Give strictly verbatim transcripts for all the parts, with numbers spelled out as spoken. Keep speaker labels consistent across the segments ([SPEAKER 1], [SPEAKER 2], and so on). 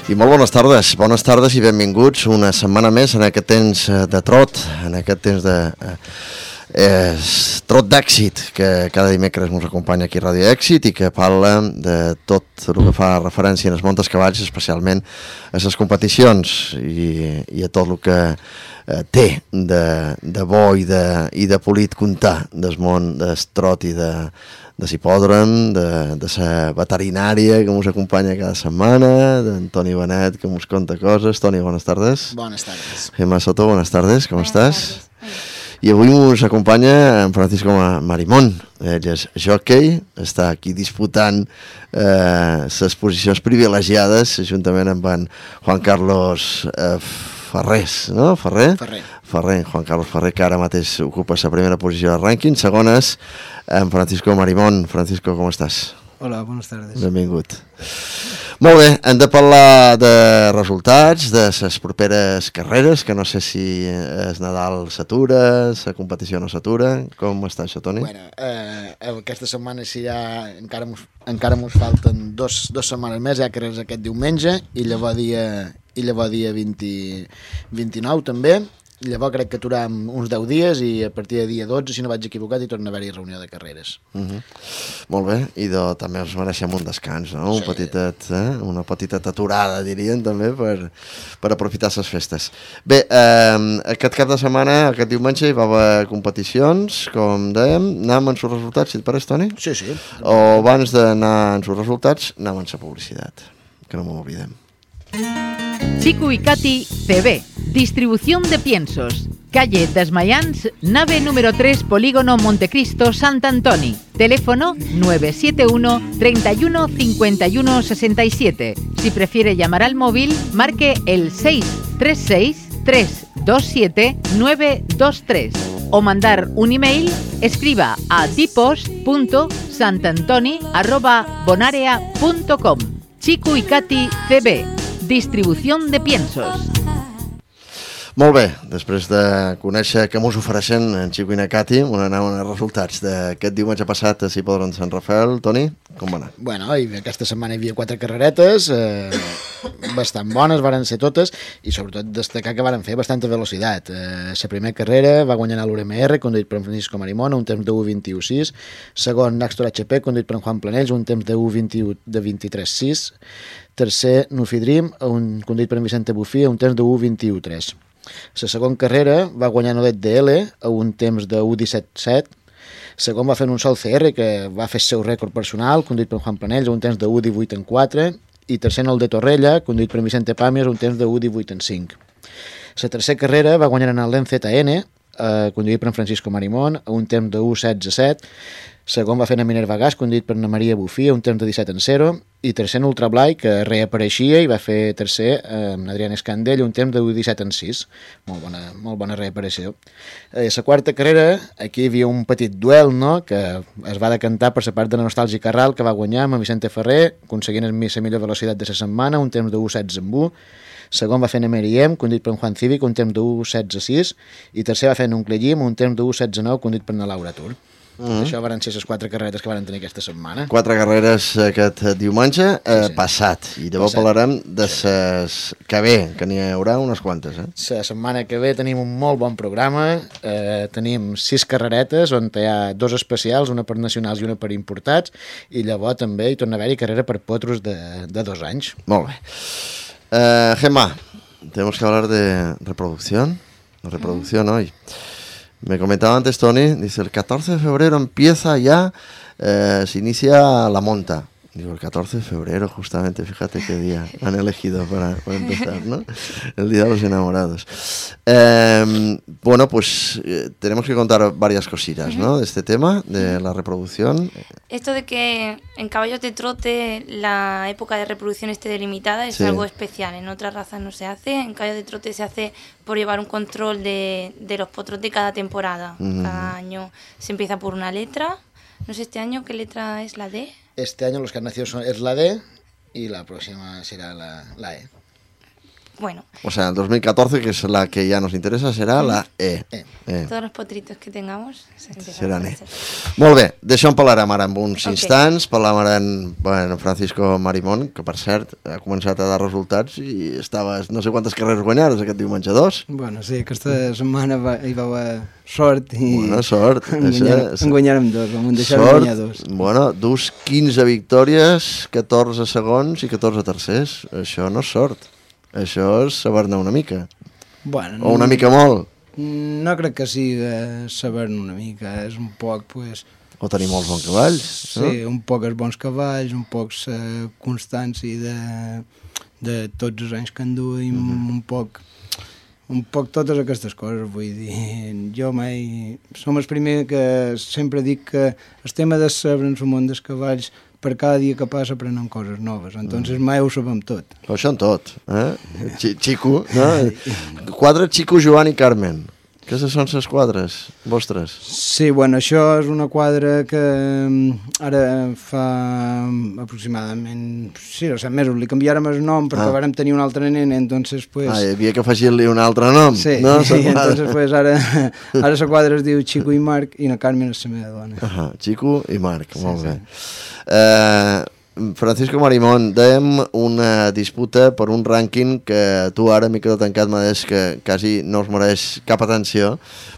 [SPEAKER 1] I molt bones tardes, bones tardes i benvinguts una setmana més en aquest temps de trot, en aquest temps de eh, trot d'èxit que cada dimecres ens acompanya aquí a Ràdio Èxit i que parla de tot el que fa referència als montes cavalls, especialment a les competicions i, i a tot el que eh, té de, de bo i de, i de polit comptar del món del trot i de de l'hipòdrom, de, de la veterinària que ens acompanya cada setmana, d'en Toni Benet que ens conta coses. Toni, bones tardes.
[SPEAKER 2] Bones tardes.
[SPEAKER 1] Gemma Soto, bones tardes, com
[SPEAKER 3] Buenas
[SPEAKER 1] estàs?
[SPEAKER 3] tardes.
[SPEAKER 1] I avui ens acompanya en Francisco Marimón. Ell és jockey, està aquí disputant eh, les posicions privilegiades juntament amb en Juan Carlos eh, Ferrés, no? Ferrer?
[SPEAKER 2] Ferrer.
[SPEAKER 1] Ferrer, Juan Carlos Ferrer, que ara mateix ocupa la primera posició del rànquing. Segona és en Francisco Marimón. Francisco, com estàs?
[SPEAKER 4] Hola, buenas tardes.
[SPEAKER 1] Benvingut. Molt bé, hem de parlar de resultats, de les properes carreres, que no sé si el Nadal s'atura, la competició no s'atura. Com està això, Toni?
[SPEAKER 2] Bueno, eh, aquesta setmana sí ja encara mos, encara mos falten dos, dos setmanes més, ja que és aquest diumenge, i llavors dia, i llavors dia vint, vint-i-nou també. Llavors crec que aturem uns deu dies i a partir de dia dotze, si no vaig equivocat, hi torna a haver-hi reunió de carreres.
[SPEAKER 1] Uh -huh. Molt bé, i de, també ens mereixem un descans, no?
[SPEAKER 2] Sí.
[SPEAKER 1] Un petitet, eh? Una petita aturada, dirien, també, per, per aprofitar les festes. Bé, eh, aquest cap de setmana, aquest diumenge, hi va haver competicions, com dèiem. Anem amb els resultats, si et pareix, Toni?
[SPEAKER 2] Sí, sí.
[SPEAKER 1] O abans d'anar amb els resultats, anem amb la publicitat, que no m'ho oblidem.
[SPEAKER 5] Chico y Katy C B, distribución de piensos, calle Desmayans, nave número tres, Polígono Montecristo, Sant Antoni. Teléfono nueve siete uno, treinta y uno, cincuenta y uno, sesenta y siete. Si prefiere llamar al móvil, marque el seis tres seis, tres dos siete, nueve dos tres o mandar un email, escriba a tipos punto santantoni arroba bonarea punto com. Chico y Katy C B, distribución de piensos.
[SPEAKER 1] Molt bé, després de conèixer què mos ofereixen en Chico i na Katy, on anaven els resultats d'aquest diumenge passat a l'hipòdrom de Sant Rafael. Toni, com va anar?
[SPEAKER 2] Bueno, i aquesta setmana hi havia quatre carreretes, eh, bastant bones, varen ser totes, i sobretot destacar que varen fer bastanta velocitat. Eh, la primera carrera va guanyar l'U R M R, conduït per en Francisco Marimón, un temps de u vint-i-u sis. Segon, Naxtor H P, conduït per en Juan Planells, un temps de u vint-i-u de vint-i-tres sis. Tercer, Nufi Dream, un conduït per en Vicente Bufí, un temps de u vint-i-u tres. La segona carrera va guanyar Nodet D L a un temps de u disset set. Segon va fer un sol C R que va fer el seu rècord personal, conduït per Juan Planells, a un temps de u divuit quatre. I tercer, el de Torrella, conduït per Vicente Pàmies, un temps de u divuit cinc. La tercera carrera va guanyar en el Len Z N, eh, conduït per en Francisco Marimón, a un temps de u setze set. Segon va fer en Minerva Gas, conduït per Ana Maria Bufí, a un temps de disset zero. I tercer, en Ultra Blai, que reapareixia i va fer tercer amb Adrián Escandell, un temps de u disset sis. Molt bona, molt bona reaparició. A la quarta carrera, aquí hi havia un petit duel, no?, que es va decantar per la part de la Nostàlgica Ral, que va guanyar amb Vicente Ferrer, aconseguint la millor velocitat de la setmana, un temps de u setze u. Segon va fer en Emeriem, conduït per en Juan Cívic, un temps de u setze sis. I tercer va fer en Uncle Llim, un temps de u setze nou, conduït per en Laura Tur. Mm-hmm. Això van ser les quatre carreretes que van tenir aquesta setmana.
[SPEAKER 1] Quatre carreres aquest diumenge eh,
[SPEAKER 2] Sí, sí.
[SPEAKER 1] passat. I llavors
[SPEAKER 2] Passat.
[SPEAKER 1] parlarem de les que ve, que n'hi haurà unes quantes. Eh?
[SPEAKER 2] La setmana que ve tenim un molt bon programa. Eh, tenim sis carreretes on hi ha dos especials, una per nacionals i una per importats, i llavors també hi torna a haver-hi carrera per potros de, de dos anys.
[SPEAKER 1] Molt bé. Eh, Gemma, tenemos que hablar de reproducción. La reproducción hoy. Me comentaba antes Tony, dice, el catorce de febrero empieza ya, eh, se inicia la monta. Digo, el catorce de febrero, justamente, fíjate qué día han elegido para, para empezar, ¿no? El Día de los Enamorados. Eh, bueno, pues eh, tenemos que contar varias cositas, ¿no? De este tema, de la reproducción.
[SPEAKER 3] Esto de que en caballos de trote la época de reproducción esté delimitada es
[SPEAKER 1] Sí.
[SPEAKER 3] algo especial. En otras razas no se hace. En caballos de trote se hace por llevar un control de, de los potros de cada temporada.
[SPEAKER 1] Mm.
[SPEAKER 3] Cada año se empieza por una letra. No sé este año qué letra es la D.
[SPEAKER 2] Este año los que han nacido son, es la D y la próxima será la, la E.
[SPEAKER 3] bueno.
[SPEAKER 1] O sea, el dos mil catorce, que es la que ya nos interesa, serà la E.
[SPEAKER 2] E.
[SPEAKER 1] E.
[SPEAKER 3] Todos los potritos que tengamos
[SPEAKER 1] Seran E. Molt bé, d'això en parlarem ara en uns
[SPEAKER 3] Ok.
[SPEAKER 1] instants. Parlarem ara en bueno, Francisco Marimón, que per cert ha començat a dar resultats i estaves no sé quantes carreres guanyades aquest diumenge dos.
[SPEAKER 4] Bueno, sí, aquesta setmana va, hi va haver sort i...
[SPEAKER 1] Bona sort.
[SPEAKER 4] En guanyar- en guanyàrem dos, vam deixar de
[SPEAKER 1] Sort,
[SPEAKER 4] guanyar dos.
[SPEAKER 1] bueno, dus quinze victòries, catorze segons i catorze tercers. Això no és sort. Això és saber-ne una mica.
[SPEAKER 4] Bueno,
[SPEAKER 1] O una mica molt.
[SPEAKER 4] No crec que sigui saber-ne una mica, és un poc, pues...
[SPEAKER 1] O tenir molts bons cavalls.
[SPEAKER 4] Sí, un poc els bons cavalls, un poc la constància de, de tots els anys que enduim, mm -hmm. un poc un poc totes aquestes coses, vull dir, jo mai... Som els primers que sempre dic que el tema de saber en el món dels cavalls, per cada dia que passa aprenem coses noves, entonces mai ho sabem tot.
[SPEAKER 1] Però això en tot, eh? Ch Xico, no? Quadre Xico, Joan i Carmen. Aquestes són les quadres vostres.
[SPEAKER 4] Sí, bueno, això és una quadra que ara fa aproximadament sí, o set mesos li canviàrem el nom perquè
[SPEAKER 1] Ah.
[SPEAKER 4] vàrem tenir un altre nen, entonces pues...
[SPEAKER 1] Ah, hi havia que afegir-li un altre nom.
[SPEAKER 4] Sí,
[SPEAKER 1] no?
[SPEAKER 4] i entonces pues ara, ara la quadra es diu Xico i Marc i la Carmen és la meva dona.
[SPEAKER 1] Ah, Xico i Marc,
[SPEAKER 4] Sí,
[SPEAKER 1] molt
[SPEAKER 4] sí.
[SPEAKER 1] bé. Eh, Francisco Marimón, dèiem una disputa per un rànquing que tu ara, micro tancat, m'ha dit que quasi no us mereix cap atenció,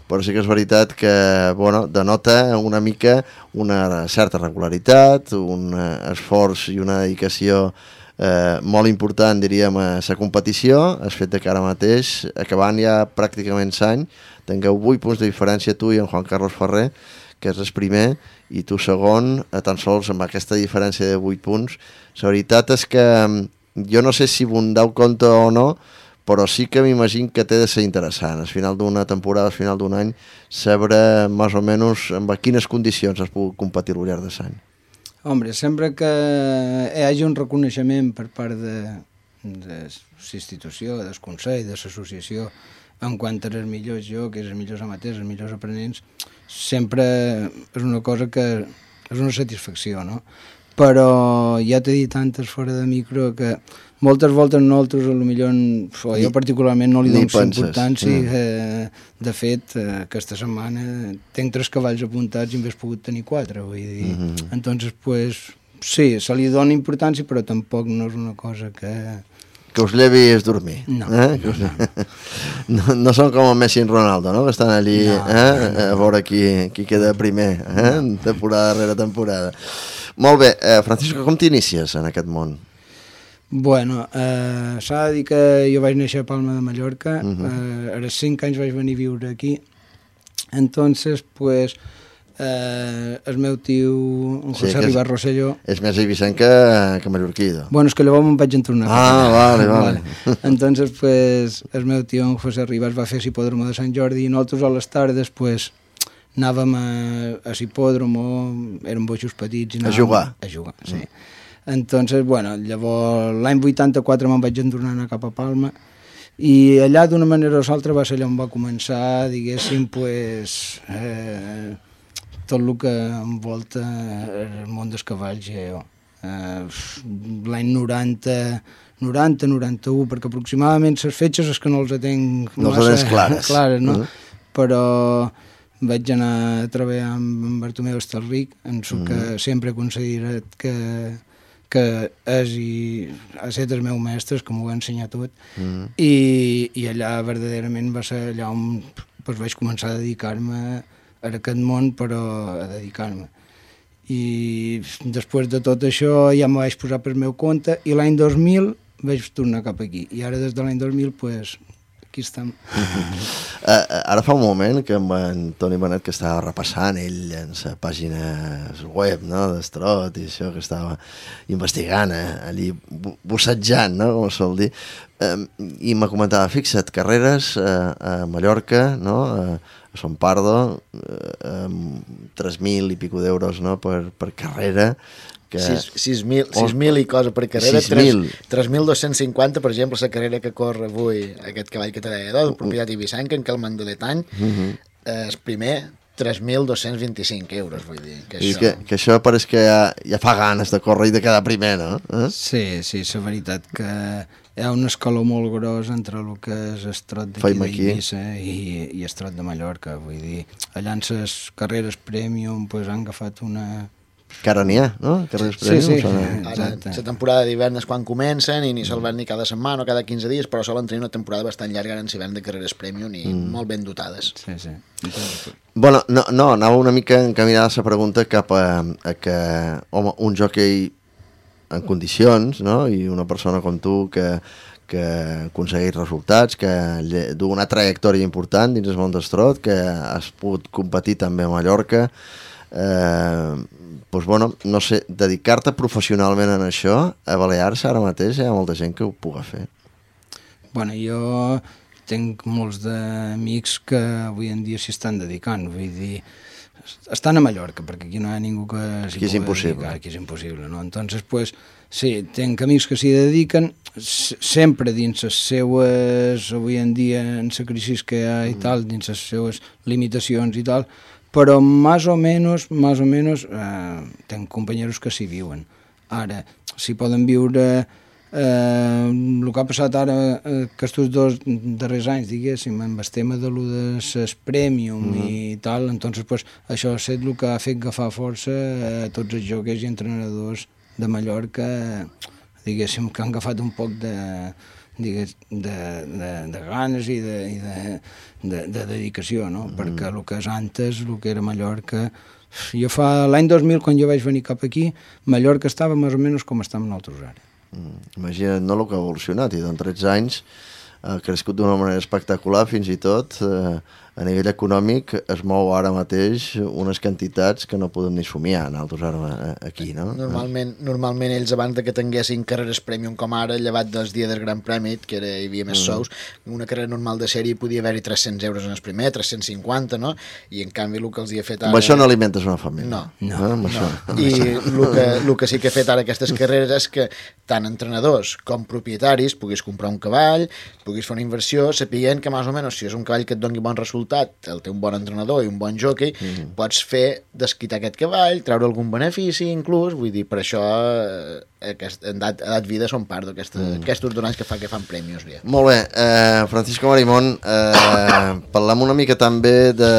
[SPEAKER 1] però sí que és veritat que, bueno, denota una mica una certa regularitat, un eh, esforç i una dedicació eh, molt important, diríem, a la competició. El fet que ara mateix, acabant ja pràcticament l'any, tingueu vuit punts de diferència tu i en Juan Carlos Ferrer, que és el primer, i tu segon, a tan sols amb aquesta diferència de vuit punts. La veritat és que jo no sé si vos deu compte o no, però sí que m'imagino que té de ser interessant, al final d'una temporada, al final d'un any, saber més o menys en quines condicions es pugui competir al llarg de l'any.
[SPEAKER 4] Hombre, sempre que hi hagi un reconeixement per part de, de l'institució, del Consell, de l'associació, en quant als millors jocs, els millors amateurs, els millors aprenents, sempre és una cosa que és una satisfacció, no? Però ja t'he dit antes fora de micro que moltes voltes nosaltres, potser, o jo particularment no li
[SPEAKER 1] ni
[SPEAKER 4] dono
[SPEAKER 1] penses,
[SPEAKER 4] importància.
[SPEAKER 1] mm.
[SPEAKER 4] Eh, de fet, eh, aquesta setmana tenc tres cavalls apuntats i en hauria pogut tenir quatre, vull dir.
[SPEAKER 1] Mm -hmm.
[SPEAKER 4] Entonces, pues, sí, se li dona importància, però tampoc no és una cosa que...
[SPEAKER 1] Que us llevis dormir.
[SPEAKER 4] No.
[SPEAKER 1] Eh? Que us... no, no són com el Messi i en Ronaldo, no? Que estan allí
[SPEAKER 4] No,
[SPEAKER 1] eh? a veure qui, qui queda primer, eh? No. Temporada darrere temporada. Molt bé, eh, Francisco, com t'inicies en aquest món?
[SPEAKER 4] Bueno, eh, s'ha de dir que jo vaig néixer a Palma de Mallorca,
[SPEAKER 1] Uh-huh.
[SPEAKER 4] eh, a les cinc anys vaig venir a viure aquí, entonces, pues, eh, el meu tio, en
[SPEAKER 1] Sí,
[SPEAKER 4] José
[SPEAKER 1] que és-
[SPEAKER 4] Ribas Rosselló,
[SPEAKER 1] És més eivissenc que, que mallorquí.
[SPEAKER 4] bueno, és que llavors me'n vaig entornar.
[SPEAKER 1] Ah, vale, vale.
[SPEAKER 4] Entonces, pues, el meu tio, en José Ribas, va fer l'hipòdromo de Sant Jordi i nosaltres a les tardes, pues, anàvem a, a l'hipòdromo, érem boixos petits i
[SPEAKER 1] A
[SPEAKER 4] anàvem
[SPEAKER 1] jugar.
[SPEAKER 4] A jugar, sí. Mm. Entonces, bueno, llavors l'any vuitanta-quatre me'n vaig entornar a anar cap a Palma i allà d'una manera o l'altra va ser allà on va començar, diguéssim, pues, eh, tot el que envolta el món dels cavalls ja jo. Eh, l'any noranta, noranta, noranta-u, perquè aproximadament les fetges és que no els tenc
[SPEAKER 1] No les tens clares.
[SPEAKER 4] clares, no?
[SPEAKER 1] Uh-huh.
[SPEAKER 4] Però vaig anar a treballar amb en Bartomeu Estalric, en el que
[SPEAKER 1] Mm.
[SPEAKER 4] sempre he considerat que, que és i ha estat el meu mestre, que m'ho va ensenyar tot,
[SPEAKER 1] Mm.
[SPEAKER 4] i, i allà verdaderament va ser allà on pues, vaig començar a dedicar-me a aquest món, però a dedicar-me. I després de tot això ja me vaig posar per meu compte i l'any dos mil vaig tornar cap aquí. I ara des de l'any dos mil, pues, aquí estem.
[SPEAKER 1] Uh, ara fa un moment que amb en Toni Benet, que estava repassant ell en la pàgina web, no?, d'Estrot i això, que estava investigant, eh, allí bussejant, no?, com es sol dir, uh, i me comentava, fixa't, carreres uh, a Mallorca, no?, uh, a Son Pardo, uh, amb tres mil i pico d'euros, no?, per, per carrera, que...
[SPEAKER 2] sis mil i cosa per carrera,
[SPEAKER 1] sis mil.
[SPEAKER 2] tres mil dos-cents cinquanta, per exemple, la carrera que corre avui aquest cavall que te deia, de propietat ibisenca, en Calman de l'Etany,
[SPEAKER 1] Uh -huh.
[SPEAKER 2] és primer tres mil dos-cents vint-i-cinc euros, vull dir, que
[SPEAKER 1] I
[SPEAKER 2] això...
[SPEAKER 1] que, que això pareix que ja, ja fa ganes de córrer i de quedar primer, no? Eh?
[SPEAKER 4] Sí, sí, la veritat que hi ha un escaló molt gros entre el que és el trot d'aquí d'Eivissa i, i el trot de Mallorca. Vull dir, allà en les carreres Premium pues, han agafat una...
[SPEAKER 1] Que ara n'hi ha, no? Carreres
[SPEAKER 4] Sí,
[SPEAKER 1] Premium.
[SPEAKER 4] sí.
[SPEAKER 1] Són...
[SPEAKER 2] Ara, la temporada d'hivern és quan comencen i ni se'l van ni cada setmana o cada quinze dies, però solen tenir una temporada bastant llarga en l'hivern de carreres Premium i mm. molt ben dotades.
[SPEAKER 4] Sí, sí. Entonces,
[SPEAKER 1] Bueno, no, no, anava una mica encaminada la pregunta cap a, a que, home, un jockey en condicions, no?, i una persona com tu que, que aconsegueix resultats, que du una trajectòria important dins el món del trot, que has pogut competir també a Mallorca, eh, doncs, bueno, no sé, dedicar-te professionalment en això, a Balears ara mateix hi ha molta gent que ho puga fer.
[SPEAKER 4] Bueno, jo tinc molts d'amics que avui en dia s'hi estan dedicant, vull dir, estan a Mallorca, perquè aquí no hi ha ningú que s'hi
[SPEAKER 1] Aquí és
[SPEAKER 4] pugui
[SPEAKER 1] impossible.
[SPEAKER 4] dedicar, aquí és impossible, no? Entonces, pues, sí, tinc amics que s'hi dediquen, sempre dins les seues, avui en dia, en la crisi que hi ha i tal, dins les seues limitacions i tal, però més o menys, més o menys, eh, tenc companyeros que s'hi viuen. Ara, si poden viure eh, el que ha passat ara eh, aquests dos darrers anys, diguéssim, amb el tema de lo de ses Premium mm -hmm. i tal, entonces, pues, això ha estat el que ha fet agafar força a tots els jocs i entrenadors de Mallorca, diguéssim, que han agafat un poc de... Digues, de, de, de ganes i de, i de, de, de dedicació, no? Mm. Perquè el que és antes, el que era Mallorca... Jo fa l'any dos mil, quan jo vaig venir cap aquí, Mallorca estava més o menys com està amb nosaltres ara.
[SPEAKER 1] Mm. Imagina't, no, el que ha evolucionat, i en tretze anys ha crescut d'una manera espectacular, fins i tot eh, a nivell econòmic es mou ara mateix unes quantitats que no podem ni somiar nosaltres ara aquí, no?
[SPEAKER 2] Normalment, normalment ells abans de que tinguessin carreres Premium com ara, llevat dels dies del Gran Premi, que era, hi havia més mm. sous, una carrera normal de sèrie podia haver-hi tres-cents euros en el primer, tres-cents cinquanta, no? I en canvi el que els hi ha fet ara...
[SPEAKER 1] Amb això no alimentes una família.
[SPEAKER 2] No,
[SPEAKER 1] no, no, amb
[SPEAKER 2] no.
[SPEAKER 1] Això.
[SPEAKER 2] I el que, el que sí que ha fet ara aquestes carreres és que tant entrenadors com propietaris puguis comprar un cavall, puguis fer una inversió, sapient que més o menys si és un cavall que et doni bon resultat, el té un bon entrenador i un bon jockey, mm. pots fer desquitar aquest cavall, treure algun benefici inclús, vull dir, per això eh, aquest, en edat, edat vida són part d'aquestos mm. donants que, fa, que fan premis. Bé.
[SPEAKER 1] Molt bé, eh, Francisco Marimón, eh, parlem una mica també de,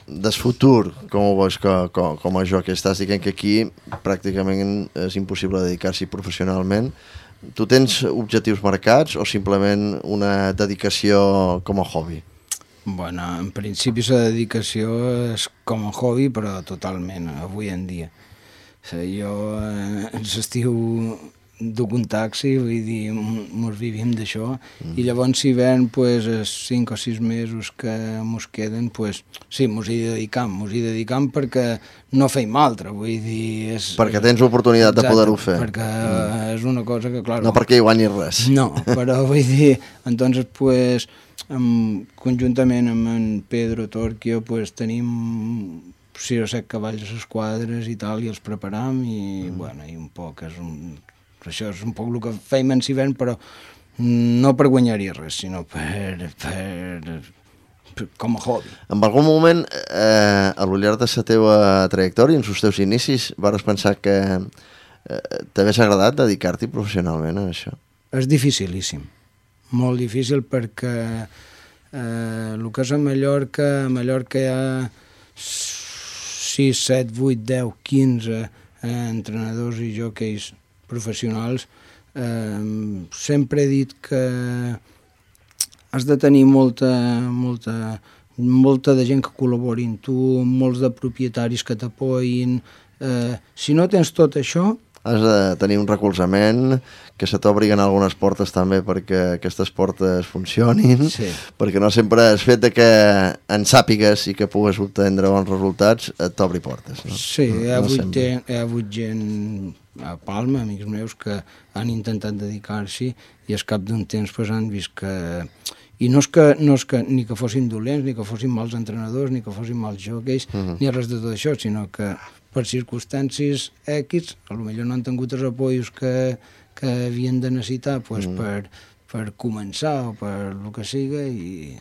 [SPEAKER 1] del futur, com ho veus com, com, com a jockey. Estàs dient que aquí pràcticament és impossible dedicar-s'hi professionalment. Tu tens objectius marcats o simplement una dedicació com a hobby?
[SPEAKER 4] Bueno, en principi la dedicació és com a hobby, però totalment, avui en dia. Jo eh, en l'estiu duc un taxi, vull dir, mos vivim d'això, mm. i llavors si ven, pues, els cinc o sis mesos que mos queden, pues, sí, mos hi dedicam, mos hi dedicam perquè no feim altre, vull dir... És,
[SPEAKER 1] perquè tens l'oportunitat de poder-ho fer.
[SPEAKER 4] Perquè mm. és una cosa que, clar...
[SPEAKER 1] No perquè hi guanyis res.
[SPEAKER 4] No, però vull dir, entonces, pues, amb, conjuntament amb en Pedro Torquio, pues, tenim sis o set cavalls a les quadres i tal, i els preparam, i, mm. bueno, i un poc és un... Això és un poc el que feim en hivern, però no per guanyar-hi res, sinó per, per, per, com a hobby.
[SPEAKER 1] En algun moment, eh, a lo llarg de la teva trajectòria, en els teus inicis, vas pensar que eh, t'hagués agradat dedicar-t'hi professionalment a això?
[SPEAKER 4] És dificilíssim, molt difícil, perquè eh, el que és a Mallorca, a Mallorca hi ha sis, set, vuit, deu, quinze eh, entrenadors i jockeys professionals. Eh, sempre he dit que has de tenir molta, molta, molta de gent que col·labori amb tu, molts de propietaris que t'apoyin. Eh, si no tens tot això...
[SPEAKER 1] Has de tenir un recolzament, que se t'obriguen algunes portes també perquè aquestes portes funcionin,
[SPEAKER 4] sí. Perquè
[SPEAKER 1] no sempre el fet de que en sàpigues i que pugues obtenir bons resultats et t'obri portes. No?
[SPEAKER 4] Sí,
[SPEAKER 1] no,
[SPEAKER 4] hi ha,
[SPEAKER 1] no
[SPEAKER 4] hagut gent, hi ha hagut gent a Palma, amics meus, que han intentat dedicar-s'hi i al cap d'un temps pues, han vist que... I no és que, no és que ni que fossin dolents, ni que fossin mals entrenadors, ni que fossin mals jockeys, uh -huh. ni res de tot això, sinó que per circumstàncies X, potser no han tingut els apoyos que, que havien de necessitar pues, mm. per, per començar o per el que siga, i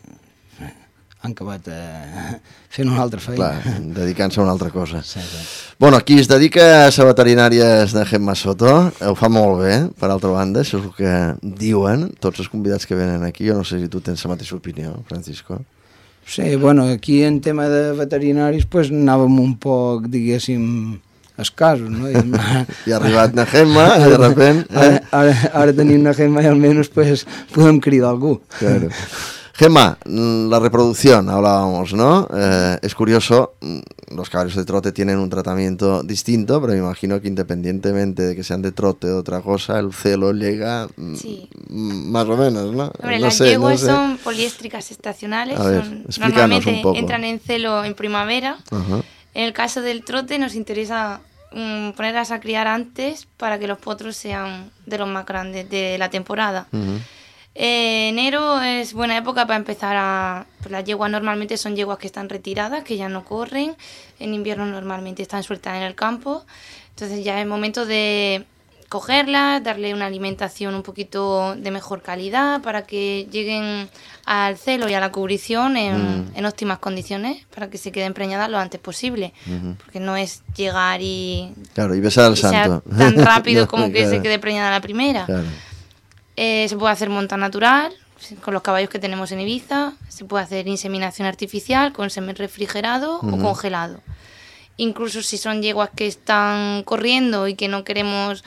[SPEAKER 4] han acabat eh, fent una altra feina.
[SPEAKER 1] Clar, dedicant-se a una altra cosa.
[SPEAKER 4] Sí, sí.
[SPEAKER 1] Bueno, qui es dedica a la veterinària és de Gemma Soto, ho fa molt bé, per altra banda, això és el que diuen tots els convidats que venen aquí. Jo no sé si tu tens la mateixa opinió, Francisco.
[SPEAKER 4] Sí, bueno, aquí en tema de veterinaris pues, anàvem un poc, diguéssim, escassos, no? I,
[SPEAKER 1] I ha arribat na Gemma, i de repente... Eh?
[SPEAKER 4] Ara, ara, ara tenim na Gemma i almenys pues, podem cridar algú.
[SPEAKER 1] Claro. Gemma, la reproducción, hablábamos, ¿no? Eh, es curioso, los caballos de trote tienen un tratamiento distinto, pero me imagino que independientemente de que sean de trote o otra cosa, el celo llega
[SPEAKER 3] sí.
[SPEAKER 1] más o menos, ¿no?
[SPEAKER 3] Hombre,
[SPEAKER 1] no
[SPEAKER 3] las
[SPEAKER 1] sé,
[SPEAKER 3] yeguas
[SPEAKER 1] no sé.
[SPEAKER 3] son poliéstricas estacionales,
[SPEAKER 1] A ver,
[SPEAKER 3] son,
[SPEAKER 1] explícanos
[SPEAKER 3] normalmente
[SPEAKER 1] un poco.
[SPEAKER 3] entran en celo en primavera.
[SPEAKER 1] Ajá.
[SPEAKER 3] En el caso del trote nos interesa um, ponerlas a criar antes para que los potros sean de los más grandes de la temporada.
[SPEAKER 1] Uh-huh.
[SPEAKER 3] Eh, enero es buena época para empezar a... Pues las yeguas normalmente son yeguas que están retiradas, que ya no corren. En invierno normalmente están sueltas en el campo. Entonces ya es momento de cogerlas, darle una alimentación un poquito de mejor calidad para que lleguen al celo y a la cubrición en, mm. en óptimas condiciones, para que se queden preñadas lo antes posible. Uh-huh. Porque no es llegar y...
[SPEAKER 1] Claro, y besar al
[SPEAKER 3] y
[SPEAKER 1] santo.
[SPEAKER 3] Sea tan rápido
[SPEAKER 1] no,
[SPEAKER 3] como que
[SPEAKER 1] claro.
[SPEAKER 3] se quede preñada la primera.
[SPEAKER 1] Claro.
[SPEAKER 3] Eh, se puede hacer monta natural con los caballos que tenemos en Ibiza, se puede hacer inseminación artificial con semen refrigerado uh-huh. o congelado. Incluso si son yeguas que están corriendo y que no queremos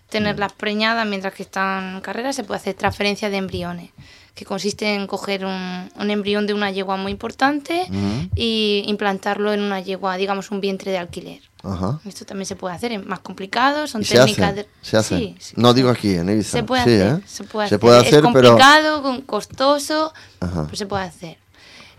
[SPEAKER 3] tenerlas preñadas mientras que están en carrera, se puede hacer transferencia de embriones, que consiste en coger un, un embrión de una yegua muy importante uh-huh. y implantarlo en una yegua, digamos un vientre de alquiler. Ajá. Esto también se puede hacer, es más complicado, son técnicas...
[SPEAKER 1] Se hace,
[SPEAKER 3] de...
[SPEAKER 1] se hace.
[SPEAKER 3] Sí, sí,
[SPEAKER 1] no
[SPEAKER 3] sí.
[SPEAKER 1] digo aquí, en Ibiza.
[SPEAKER 3] Se puede
[SPEAKER 1] sí,
[SPEAKER 3] hacer,
[SPEAKER 1] ¿eh?
[SPEAKER 3] se puede
[SPEAKER 1] se
[SPEAKER 3] hacer.
[SPEAKER 1] Puede hacer
[SPEAKER 3] es complicado,
[SPEAKER 1] pero...
[SPEAKER 3] costoso,
[SPEAKER 1] Ajá.
[SPEAKER 3] pero se puede hacer.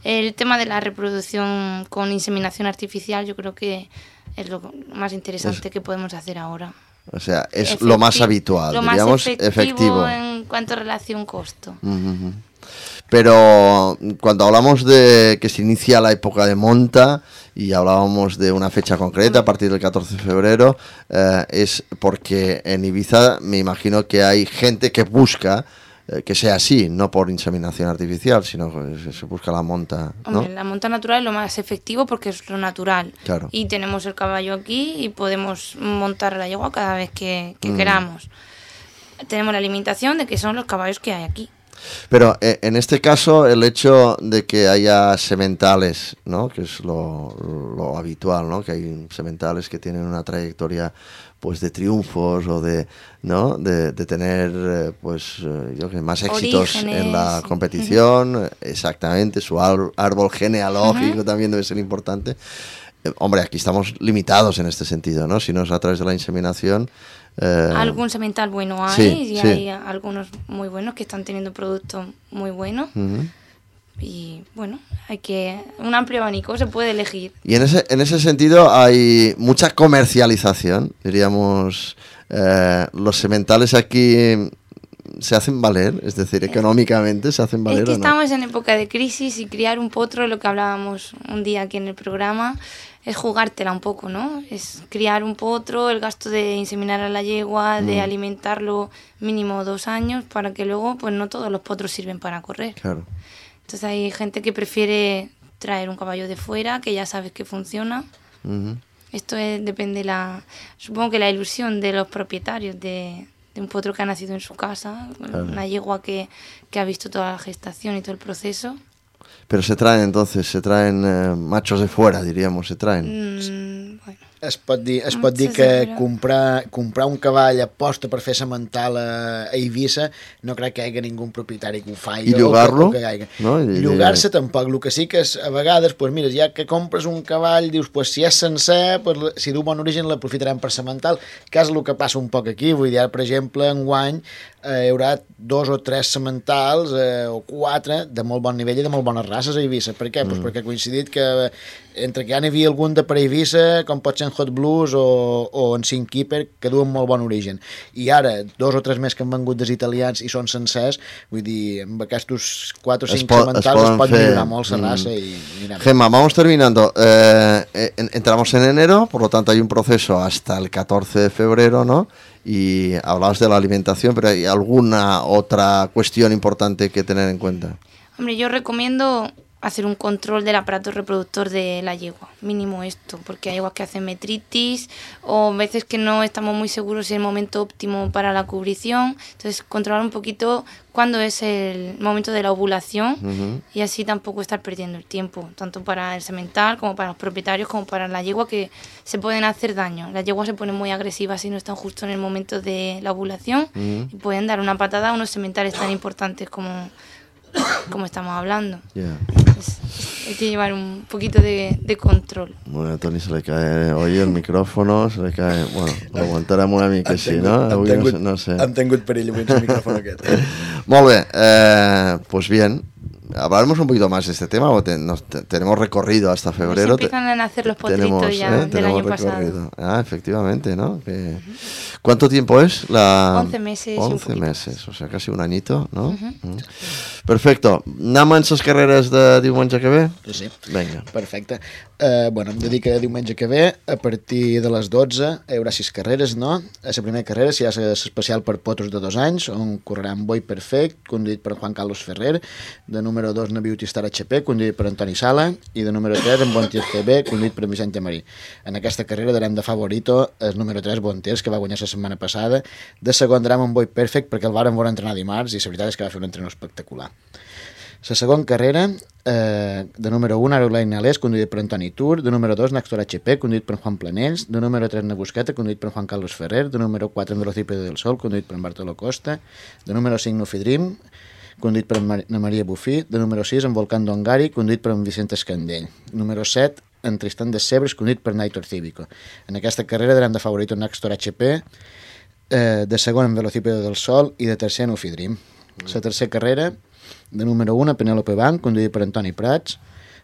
[SPEAKER 3] El tema de la reproducción con inseminación artificial yo creo que es lo más interesante es... que podemos hacer ahora.
[SPEAKER 1] O sea, es
[SPEAKER 3] efectivo,
[SPEAKER 1] lo más habitual,
[SPEAKER 3] lo
[SPEAKER 1] diríamos,
[SPEAKER 3] más efectivo,
[SPEAKER 1] efectivo.
[SPEAKER 3] En cuanto a relación-costo.
[SPEAKER 1] Uh-huh. Pero cuando hablamos de que se inicia la época de monta y hablábamos de una fecha concreta a partir del catorce de febrero, eh, es porque en Ibiza me imagino que hay gente que busca eh, que sea así, no por inseminación artificial, sino que se busca la monta, ¿no?
[SPEAKER 3] Hombre, la monta natural es lo más efectivo porque es lo natural.
[SPEAKER 1] Claro. Y
[SPEAKER 3] tenemos el caballo aquí y podemos montar la yegua cada vez que, que mm. queramos. Tenemos la limitación de que son los caballos que hay aquí.
[SPEAKER 1] Pero eh, en este caso el hecho de que haya sementales, ¿no? Que es lo, lo habitual, ¿no? Que hay sementales que tienen una trayectoria pues de triunfos o de, ¿no? de, de tener eh, pues eh, yo que más éxitos Orígenes. En la competición, uh-huh. exactamente, su ar- árbol genealógico uh-huh. también debe ser importante. Eh, hombre, aquí estamos limitados en este sentido, ¿no? Si no es a través de la inseminación. Eh,
[SPEAKER 3] algún semental bueno hay,
[SPEAKER 1] sí,
[SPEAKER 3] y
[SPEAKER 1] sí.
[SPEAKER 3] hay algunos muy buenos que están teniendo productos muy buenos. Uh-huh. Y bueno, hay que un amplio abanico, se puede elegir.
[SPEAKER 1] Y en ese en ese sentido hay mucha comercialización, diríamos. Eh, los sementales aquí se hacen valer, es decir, económicamente se hacen valer.
[SPEAKER 3] Es que
[SPEAKER 1] ¿o no?
[SPEAKER 3] estamos en época de crisis y criar un potro, lo que hablábamos un día aquí en el programa, es jugártela un poco, ¿no? Es criar un potro, el gasto de inseminar a la yegua, mm. de alimentarlo mínimo dos años, para que luego, pues no todos los potros sirven para correr.
[SPEAKER 1] Claro.
[SPEAKER 3] Entonces hay gente que prefiere traer un caballo de fuera, que ya sabes que funciona. Uh-huh. Esto es, depende la, supongo que la ilusión de los propietarios de, de un potro que ha nacido en su casa, claro. Una yegua que, que ha visto toda la gestación y todo el proceso.
[SPEAKER 1] Pero se traen entonces, se traen eh, machos de fuera, diríamos, se traen.
[SPEAKER 3] Mm, bueno.
[SPEAKER 2] Es pot dir, es pot dir que comprar, comprar un cavall aposta per fer semental a, a Eivissa no crec que hi hagi ningú propietari que ho faci.
[SPEAKER 1] I llogar-lo?
[SPEAKER 2] No? Llogar-se tampoc. El que sí que és, a vegades, pues, mira, ja que compres un cavall, dius, pues, si és sencer, pues, si du bon origen l'aprofitarem per semental, que és el que passa un poc aquí. Vull dir, per exemple, enguany eh, hi haurà dos o tres sementals eh, o quatre de molt bon nivell i de molt bones races a Eivissa. Per què? Mm. Pues perquè ha coincidit que entre que ja n'hi havia algun de per Eivissa, com pot ser en Hot Blues o, o en Cinc Keeper, que duen molt bon origen. I ara, dos o tres més que han vengut dels italians i són sencers, vull dir, amb aquests quatre o cinc po- sementals es, es pot fer... millorar molt la raza. Mm. Y, mira,
[SPEAKER 1] Gemma, vamos terminando. Eh, entramos en enero, por lo tanto hay un proceso hasta el catorce de febrero, ¿no? Y hablabas de la alimentación, pero ¿hay alguna otra cuestión importante que tener en cuenta?
[SPEAKER 3] Hombre, yo recomiendo hacer un control del aparato reproductor de la yegua, mínimo esto, porque hay yeguas que hacen metritis o veces que no estamos muy seguros si es el momento óptimo para la cubrición, entonces controlar un poquito cuándo es el momento de la ovulación uh-huh. y así tampoco estar perdiendo el tiempo, tanto para el semental como para los propietarios como para la yegua, que se pueden hacer daño. Las yeguas se ponen muy agresivas si no están justo en el momento de la ovulación uh-huh. y pueden dar una patada a unos sementales tan importantes como como estamos hablando. Yeah. Entonces, hay que llevar un poquito de, de control.
[SPEAKER 1] Bueno, a Toni se le cae hoy el micrófono, se le cae... Bueno, l'aguantarem una mica així, no?
[SPEAKER 2] Avui tingut, no sé. Hem tingut perill avui el micrófono aquest.
[SPEAKER 1] Molt bé, eh, pues bien. Hablaremos un poquito más de este tema, te, nos, te, tenemos recorrido hasta febrero.
[SPEAKER 3] Se empiezan a nacer los potritos tenemos, ya eh, del año recorrido. Pasado.
[SPEAKER 1] Ah, efectivamente, ¿no? Que... ¿Cuánto tiempo es? La...
[SPEAKER 3] once meses.
[SPEAKER 1] once meses, o sea, casi un añito, ¿no? Uh-huh. Uh-huh. Perfecto. Anem amb les carreres de diumenge que ve?
[SPEAKER 2] Sí.
[SPEAKER 1] Vinga.
[SPEAKER 2] Perfecte. Uh, bueno, hem de dir que diumenge que ve, a partir de les dotze, hi haurà sis carreres, no? A la primera carrera s'hi ha l'especial per potros de dos anys, on correran Boi Perfect, conduït per Juan Carlos Ferrer, de número dos na Beauty Star H P, conduït per Antoni Sala, i de número tres en Bontiers C B, conduït per Vicente Marí. En aquesta carrera darem de favorito el número tres Bontiers, que va guanyar la setmana passada. De segon darem en Boi Perfect, perquè el varen veure entrenar dimarts, i la veritat és que va fer un entrenador espectacular. La segona carrera, eh, de número un, Aeroline Alès, conduït per Antoni Tur, de número dos, Naxtor H P, conduït per Juan Planells, de número tres, Nabusqueta, conduït per Juan Carlos Ferrer, de número quatre, en Velocípedo del Sol, conduït per Bartolo Costa, de número cinc, Nufidrim, conduït per Mar na Maria Bufí, de número sis, en Volcán Dongari, conduït per en Vicente Escandell, número set, en Tristan de Sebres, conduït per Naitor Cívico. En aquesta carrera darem de favorit en Naxtor H P, eh, de segon, en Velocípedo del Sol, i de tercer, Nufidrim. La tercera carrera, de número un, Penélope Banc, conduït per Antoni Prats,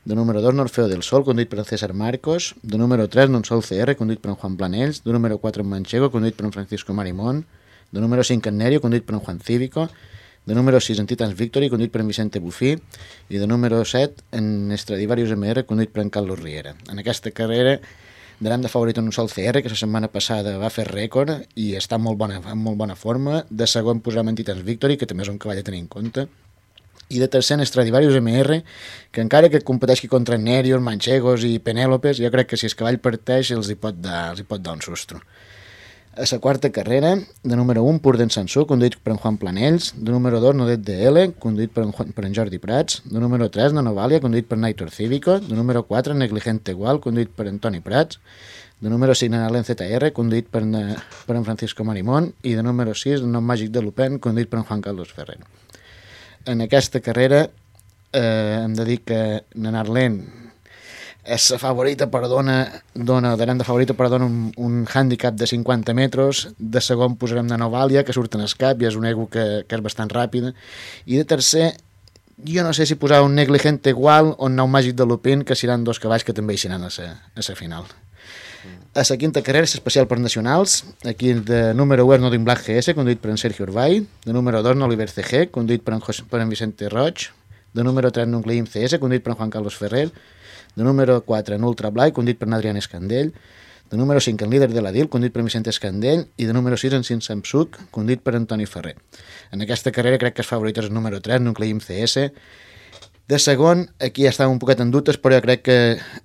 [SPEAKER 2] de número dos, Orfeo del Sol, conduït per César Marcos, de número tres, Nonsol C R, conduït per Juan Planells, de número quatre, Manchego, conduït per Francisco Marimón, de número cinc, en Nerio, conduït per Juan Cívico, de número sis, en Titans Victory, conduït per Vicente Bufí, i de número set, en Stradivarius M R, conduït per Carlos Riera. En aquesta carrera darem de favorit en un sol C R, que la setmana passada va fer rècord i està en molt bona, en molt bona forma. De segon posarem en Titans Victory, que també és un cavall a tenir en compte. I de tercer en Stradivarius M R, que encara que competeixi contra Nerios, Manchegos i Penélopes, jo crec que si el cavall parteix els hi pot dar, els hi pot dar un sustro. A la quarta carrera, de número un, Pur d'en Sansú, conduït per en Juan Planells, de número dos, Nodet de L, conduït per en, Juan, per en Jordi Prats, de número tres, Nanovalia, conduït per Naitor Cívico, de número quatre, Negligente Igual, conduït per Antoni Prats, de número cinc, Nanalen Z R, conduït per, per en Francisco Marimón, i de número sis, Nom Màgic de Lupin, conduït per en Juan Carlos Ferrer. En aquesta carrera eh, hem de dir que Nanarlen és la favorita, però dona, dona, darem de favorita, però dona un, un hàndicap de cinquanta metres. De segon posarem Nanovalia, que surt en escap i és un ego que, que és bastant ràpida. I de tercer, jo no sé si posar un Negligente Igual o un Nom Màgic de Lupin, que seran dos cavalls que també hi seran a la final. A la quinta carrera és especial per nacionals. Aquí de número u és Nodin Black G S, conduït per en Sergio Urbay. De número dos, Oliver C G, conduït per en, José, per en Vicente Roig. De número tres, Nucleim C S, conduït per en Juan Carlos Ferrer. De número quatre, en Ultra Blay, conduït per en Adrián Escandell. De número cinc, en Líder de la D I L, conduït per en Vicente Escandell. I de número sis, en Sin Samsuk, conduït per Antoni Ferrer. En aquesta carrera crec que el favorit és el número tres, Nucleim C S. De segon, aquí ja estava un poquet en dubtes, però jo crec que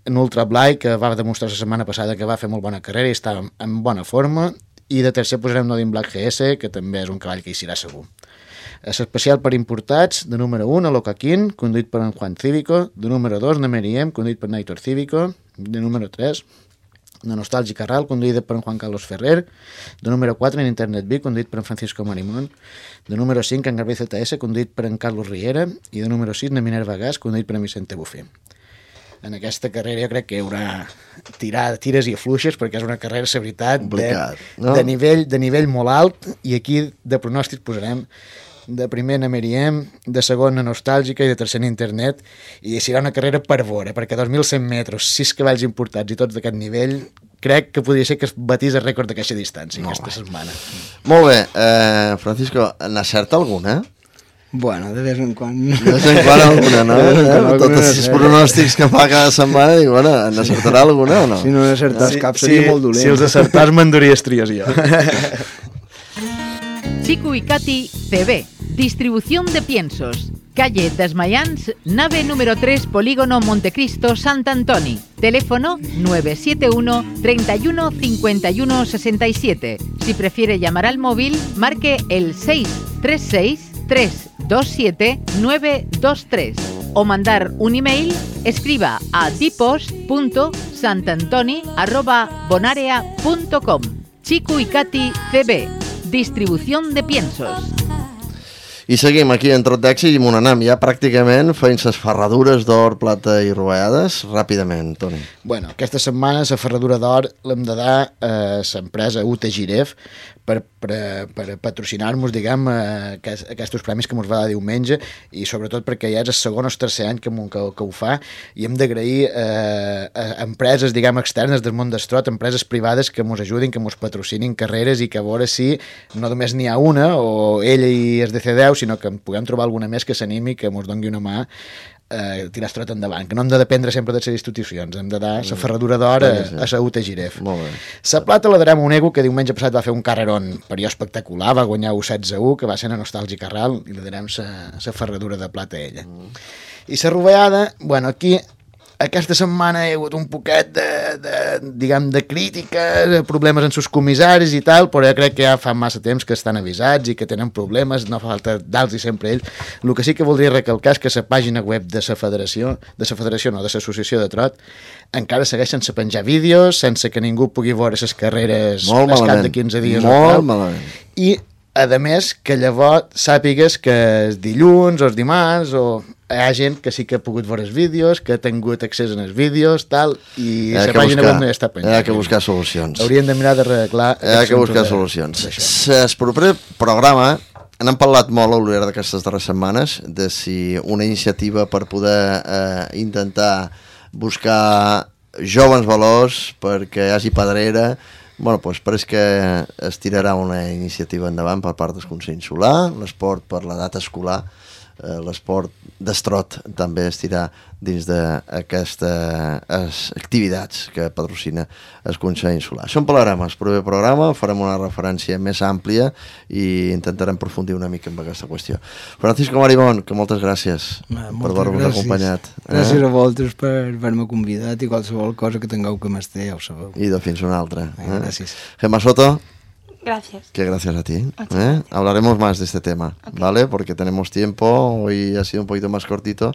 [SPEAKER 2] en Ultra Blay, que va demostrar la setmana passada que va fer molt bona carrera i està en bona forma, i de tercer posarem Nodin Black G S, que també és un cavall que hi serà segur. L'especial per importats, de número un, Alocaquín, conduït per en Juan Cívico, de número dos, Nemeriem, conduït per Naitor Cívico, de número tres, de Nostàlgica Ral, conduïda per en Juan Carlos Ferrer, de número quatre, en Internet B, conduït per en Francisco Marimón, de número cinc, en Garbí Z S, conduït per en Carlos Riera, i de número sis, en Minerva Gas, conduït per en Vicente Bufí. En aquesta carrera jo crec que hi haurà tirar, tires i afluixes, perquè és una carrera, la veritat, de, no? de, nivell, de nivell molt alt, i aquí de pronòstic posarem de primer a Meriem, de segon a Nostàlgica i de tercer a Internet, i serà una carrera per veure, perquè dos mil cent metres, sis cavalls importats i tots d'aquest nivell, crec que podria ser que es batís el rècord d'aquesta distància molt aquesta bé. setmana.
[SPEAKER 1] Molt bé, eh, Francisco, n'acerta alguna?
[SPEAKER 4] Bueno, de vez en quan.
[SPEAKER 1] De vez en quan alguna, no? Eh? Tots els pronòstics que fa cada setmana, dic, bueno, n'acertarà alguna o no?
[SPEAKER 4] Si no n'acertàs
[SPEAKER 2] sí,
[SPEAKER 4] cap seria
[SPEAKER 2] sí,
[SPEAKER 4] molt dolent.
[SPEAKER 2] Si els acertàs m'enduria estries jo.
[SPEAKER 5] Chico y Katy C B, distribución de piensos. calle Desmayans, nave número tres, Polígono Montecristo, Sant Antoni. Teléfono nueve siete uno, treinta y uno, cincuenta y uno, sesenta y siete. Si prefiere llamar al móvil, marque el seis tres seis, tres dos siete, nueve dos tres o mandar un email, escriba a dipos punto santantoni arroba bonarea punto com. Chico y Cati C B, distribución de piensos.
[SPEAKER 1] I seguim aquí en Trot d'Èxit i m'on anem ja pràcticament fent les ferradures d'or, plata i rovellades ràpidament, Toni.
[SPEAKER 2] Bueno, aquesta setmana la ferradura d'or l'hem de dar a l'empresa U T Giref per, per, per patrocinar-nos, diguem, aquest, aquests premis que ens va dar diumenge i sobretot perquè ja és el segon o tercer any que, que, que ho fa i hem d'agrair eh, a empreses, diguem, externes del món d'estrot, empreses privades que ens ajudin, que ens patrocinin carreres i que a veure si no només n'hi ha una o ella i es D C deu, sinó que puguem trobar alguna més que s'animi, que ens doni una mà eh, tirar estrot endavant, que no hem de dependre sempre de les institucions, hem de dar la ferradura d'or a, a la U T Giref. La plata la darem a un ego que diumenge passat va fer un carrerón per jo espectacular, va guanyar u setze a u, que va ser una nostàlgica ral, i li darem la ferradura de plata a ella. Mm. I la rovellada, bueno, aquí aquesta setmana hi ha hagut un poquet de, de, diguem, de crítica, problemes en sus comissaris i tal, però jo crec que ja fa massa temps que estan avisats i que tenen problemes, no fa falta dar-los sempre ells. El que sí que voldria recalcar és que la pàgina web de la federació, de la federació no, de l'associació de trot, encara segueix sense penjar vídeos, sense que ningú pugui veure les carreres al cap de quinze dies.
[SPEAKER 1] Molt malament.
[SPEAKER 2] I, a més, que llavors sàpigues que els dilluns o els dimarts o hi ha gent que sí que ha pogut veure els vídeos, que ha tingut accés als vídeos, tal, i la pàgina web no està penjant.
[SPEAKER 1] Hi ha que buscar solucions.
[SPEAKER 2] Hauríem de mirar d'arreglar...
[SPEAKER 1] Hi ha que buscar solucions. El proper programa n'hem parlat molt a l'hora d'aquestes darreres setmanes, de si una iniciativa per poder eh, intentar buscar joves valors perquè hi hagi pedrera. Bueno, doncs pareix que es tirarà una iniciativa endavant per part del Consell Insular, l'esport per l'edat escolar, eh, l'esport d'estrot també es tirà dins d'aquestes activitats que patrocina el Consell Insular. Això en parlarem al proper programa, farem una referència més àmplia i intentarem aprofundir una mica en aquesta qüestió. Francisco Marimón, que moltes gràcies
[SPEAKER 4] ah,
[SPEAKER 1] per haver-vos acompanyat.
[SPEAKER 4] Gràcies eh? a vosaltres per haver-me convidat i qualsevol cosa que tingueu que m'esté, ja ho sabeu.
[SPEAKER 1] I de fins una altra.
[SPEAKER 4] Eh?
[SPEAKER 1] Eh?
[SPEAKER 4] Gràcies.
[SPEAKER 1] Gemma Soto.
[SPEAKER 3] Gracias.
[SPEAKER 1] Que gracias a ti. ¿eh? Hablaremos más de este tema, okay. ¿Vale? Porque tenemos tiempo, hoy ha sido un poquito más cortito,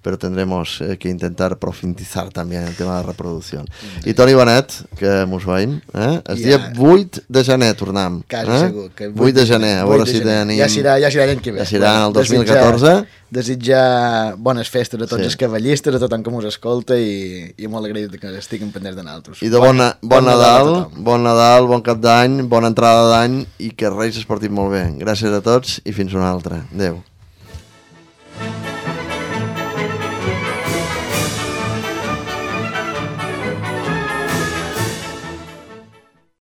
[SPEAKER 1] pero tendremos eh, que intentar profundizar también en el tema de la reproducción. Mm-hmm. I Toni Benet, que mos veiem, eh? El yeah. dia vuit de gener tornem.
[SPEAKER 2] Quasi
[SPEAKER 1] eh?
[SPEAKER 2] segur. Que
[SPEAKER 1] vuit de gener, a veure si tenim...
[SPEAKER 2] Ja serà, ja serà l'any que ve.
[SPEAKER 1] Ja serà en el dos mil catorze.
[SPEAKER 2] Desitjar bones festes a tots
[SPEAKER 1] sí.
[SPEAKER 2] els cavallistes, a tothom que mos escolta i, i molt agraït que estiguin pendents de nosaltres.
[SPEAKER 1] I de bon, bon, bon Nadal, bon Nadal, bon cap d'any, bona entrada d'any i que Reis es portin molt bé. Gràcies a tots i fins una altra. Adéu.